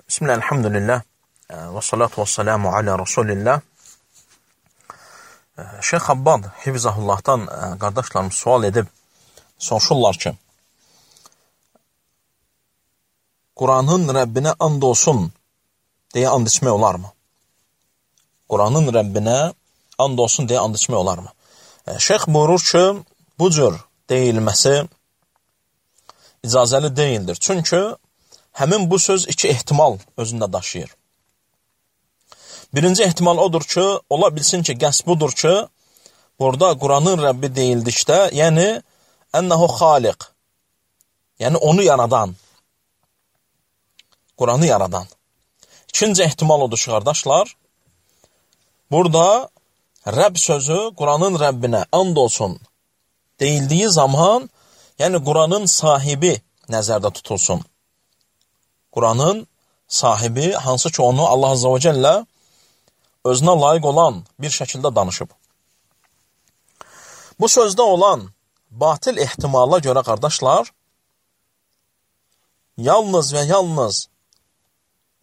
Bismillah, elhamdülillah, və salatu və salamu alə Rasulillah. Şeyx Abbad Hifzahullah'dan qardaşlarımız sual edib, soruşurlar ki, Quranın Rəbbinə and olsun deyə and içmək olarmı? Quranın Rəbbinə and olsun deyə and içmək olarmı? Şeyx buyurur ki, bu cür deyilməsi icazəli deyildir. Çünki həmin bu söz iki ehtimal özündə daşıyır. Birinci ehtimal odur ki, ola bilsin ki, qəsd budur ki, burada Quranın Rəbbi deyildikdə, yəni ənəhu xaliq, yəni onu yaradan, Quranı yaradan. İkinci ehtimal odur ki, qardaşlar, burada Rəbb sözü Quranın Rəbbinə and olsun deyildiyi zaman, yəni Quranın sahibi nəzərdə tutulsun. Quranın sahibi, hansı ki onu Allah Azze ve Celle özünə layiq olan bir şəkildə danışıb. Bu sözdə olan batil ehtimala görə, qardaşlar, yalnız və yalnız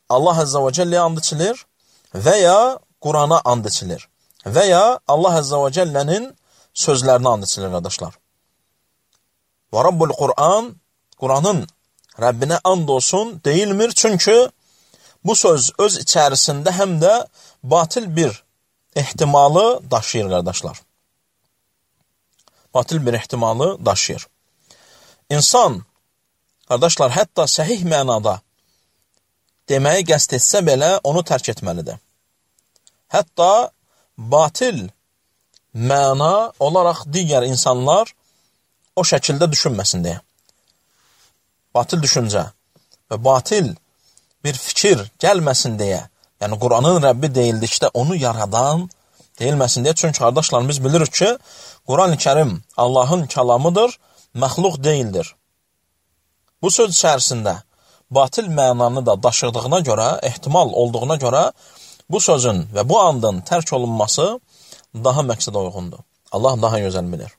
Allah Azze ve Celle'yə and içilir və ya Qurana and içilir və ya Allah Azze ve Celle'nin sözlərinə and içilir, qardaşlar. Və Rabbul Quran, Quranın Rəbbinə and olsun deyilmir, çünki bu söz öz içərisində həm də batil bir ehtimalı daşıyır, qardaşlar. Batil bir ehtimalı daşıyır. İnsan, qardaşlar, hətta səhih mənada deməyi qəsd etsə belə onu tərk etməlidir. Hətta batil məna olaraq digər insanlar o şəkildə düşünməsin deyə. Batil düşüncə və batil bir fikir gəlməsin deyə, yəni Quranın Rəbbi deyildikdə onu yaradan deyilməsin deyə. Çünki qardaşlar, biz bilirik ki, Quran-ı Kərim Allahın kəlamıdır, məxluq deyildir. Bu söz içərisində batil mənanı da daşıdığına görə, ehtimal olduğuna görə bu sözün və bu andın tərk olunması daha məqsədə uyğundur. Allah daha gözəl bilir.